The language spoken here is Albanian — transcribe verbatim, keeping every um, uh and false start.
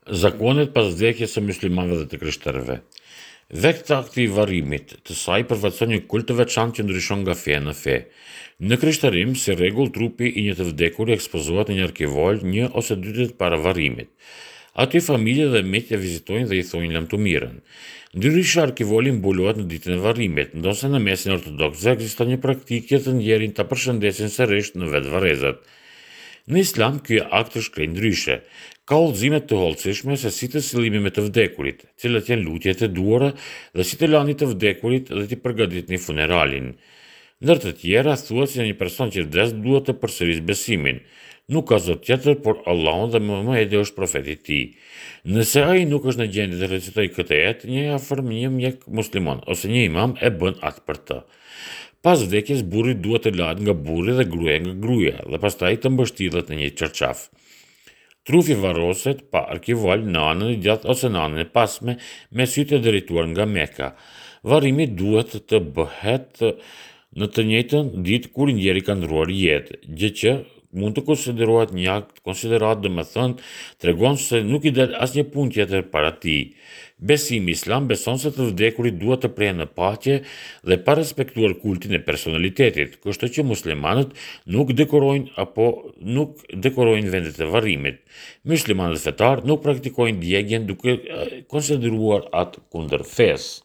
Zakonet pas vdekjes së myslimanëve dhe të krishterëve. Vetë akti i varrimit të saj përfaqëson një kult të veçantë që ndryshon nga feja në fe. Në krishterim, si rregull, trupi i një të vdekuri ekspozohet në një arkivol një ose dy ditë para varrimit. Aty familja dhe miqtë e vizitojnë dhe i thonë lamtumirën. Ndryshe arkivoli mbulohet në ditën e varrimit, ndonëse në mesin e ortodoksëve ekziston një praktikë që të ndjerin ta përshëndesin sërish në vetë varrezat. Në Islam ky akt është krejt ndryshe. Ka udhëzime të hollësishme se si të sillemi me të vdekurit, cilat janë lutjet e duhura dhe si të lani të vdekurit dhe t'i përgatitni funeralin. Ndër të tjera, thuhet se një person që vdes duhet të përsërisë besimin. Nuk ka zot tjetër, por Allahun dhe Muhamedi është profeti i tij. Nëse ai nuk është në gjendje të recitojë këtë ajet, një i afërm, një mjek musliman ose një imam e bën atë për të. Pas vdekjes, burri duhet të lahet nga burri dhe gruaja nga gruaja dhe pastaj të mbështillet në një çarçaf. Trupi varroset pa arkivol në anën e djathtë ose në anën e pasme me sytë e drejtuar nga Meka. Varrimi duhet të bëhet në të njëjtën ditë kur i ndjeri ka ndërruar jetë, gjë që mund të konsiderohet një akt konsiderat, domethënë tregon se nuk i del asnjë punë tjetër para tij. Besimi islam beson se të vdekurit duhet të prehen në paqe dhe pa respektuar kultin e personalitetit, kështu që muslimanët nuk dekorojnë apo nuk dekorojnë vendet e varrimit. Muslimanët fetar nuk praktikojnë djegien duke konsideruar atë kundër fesë.